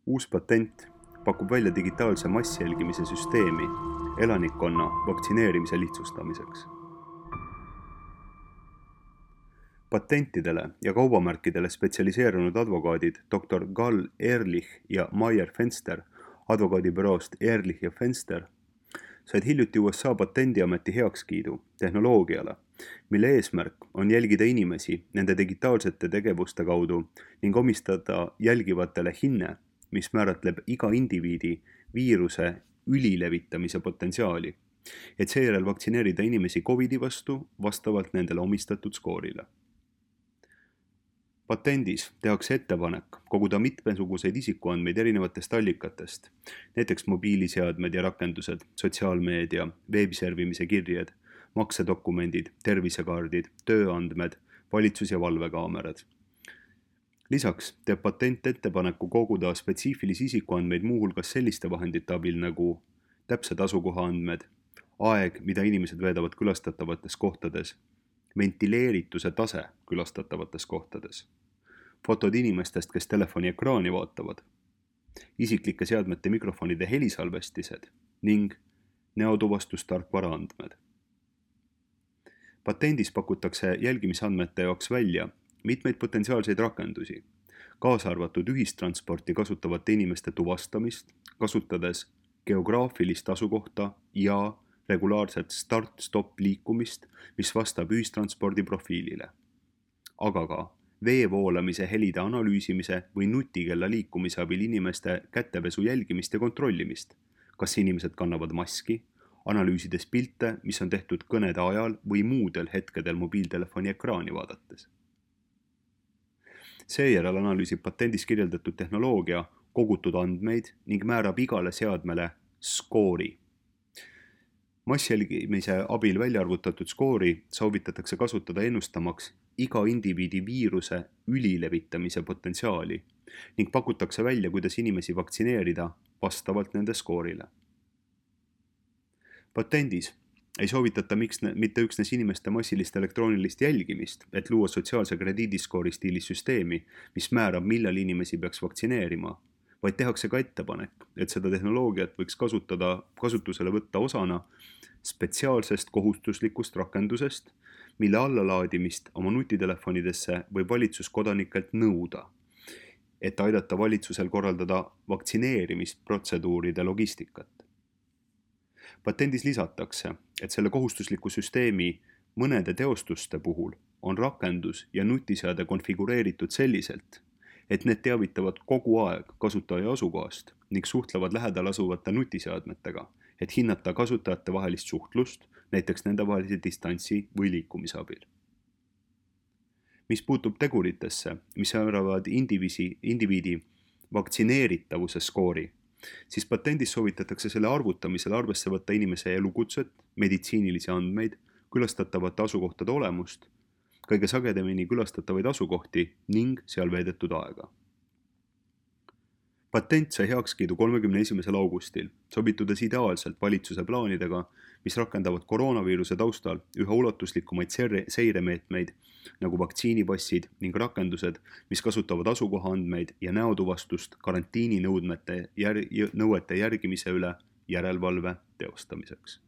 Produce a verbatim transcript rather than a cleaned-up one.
Uus patent pakub välja digitaalse massjälgimise süsteemi elanikkonna vaktsineerimise lihtsustamiseks. Patentidele ja kaubamärkidele spetsialiseerunud advokaadid doktor Gal Ehrlich ja Meyer Fenster advokaadibüroost Ehrlich ja Fenster said hiljuti U S A patendiameti heakskiidu tehnoloogiale, mille eesmärk on jälgida inimesi nende digitaalsete tegevuste kaudu ning omistada jälgivatele hinne, mis määratleb iga indiviidi viiruse ülilevitamise potentsiaali, et seejärel vaktsineerida inimesi Covidi vastu vastavalt nendele omistatud skoorile. Patendis tehakse ettepanek koguda mitmesuguseid isikuandmeid erinevatest allikatest, näiteks mobiiliseadmed ja rakendused, sotsiaalmeedia, veebiservimise kirjed, maksedokumendid, tervisekaardid, tööandmed, valitsus- ja valvekaamerad. Lisaks teeb patent ettepaneku koguda spetsiifilisi isikuandmeid muuhulgas selliste vahendite abil nagu täpsed asukohaandmed, aeg, mida inimesed veedavad külastatavates kohtades, ventileerituse tase külastatavates kohtades, fotod inimestest, kes telefoni ekraani vaatavad, isiklike seadmete mikrofonide helisalvestised ning näotuvastustarkvara andmed. Patendis pakutakse jälgimisandmete jaoks välja mitmeid potentsiaalseid rakendusi, kaasa arvatud ühistransporti kasutavate inimeste tuvastamist, kasutades geograafilist asukohta ja regulaarset start-stop liikumist, mis vastab ühistranspordi profiilile, aga ka vee voolamise helide analüüsimise või nutikella liikumise abil inimeste kätepesu jälgimist ja kontrollimist, kas inimesed kannavad maski, analüüsides pilte, mis on tehtud kõnede ajal või muudel hetkedel mobiiltelefoni ekraani vaadates. Seejärel analüüsib patendis kirjeldatud tehnoloogia kogutud andmeid ning määrab igale seadmele skoori. Massjälgimise abil välja arvutatud skoori soovitatakse kasutada ennustamaks iga indiviidi viiruse ülilevitamise potentsiaali ning pakutakse välja, kuidas inimesi vaktsineerida vastavalt nende skoorile. Patendis ei soovitata miks, mitte üksnes inimeste massilist elektroonilist jälgimist, et luua sotsiaalse krediidiskoori stiilis süsteemi, mis määrab, millal inimesi peaks vaktsineerima, vaid tehakse ka ettepanek, et seda tehnoloogiat võiks kasutada, kasutusele võtta osana spetsiaalsest kohustuslikust rakendusest, mille allalaadimist oma nutitelefonidesse võib valitsus kodanikelt nõuda, et aidata valitsusel korraldada vaktsineerimisprotseduuride logistikat. Patendis lisatakse, et selle kohustusliku süsteemi mõnede teostuste puhul on rakendus ja nutiseade konfigureeritud selliselt, et need teavitavad kogu aeg kasutaja asukohast ning suhtlevad lähedal asuvate nutiseadmetega, et hinnata kasutajate vahelist suhtlust, näiteks nende vahelise distantsi või liikumise abil. Mis puutub teguritesse, mis määravad indiviisi, indiviidi vaktsineeritavuse skoori, siis patendis soovitatakse selle arvutamisel arvesse võtta inimese elukutset, meditsiinilisi andmeid, külastatavate asukohtade olemust, kõige sagedamini külastatavaid asukohti ning seal veedetud aega. Patent sai heakskiidu kolmekümne esimesel augustil, sobitudes ideaalselt valitsuse plaanidega, mis rakendavad koroonaviiruse taustal üha ulatuslikumaid seiremeetmeid nagu vaktsiinipassid ning rakendused, mis kasutavad asukohaandmeid ja näotuvastust karantiininõudmete jär- nõuete järgimise üle järelevalve teostamiseks.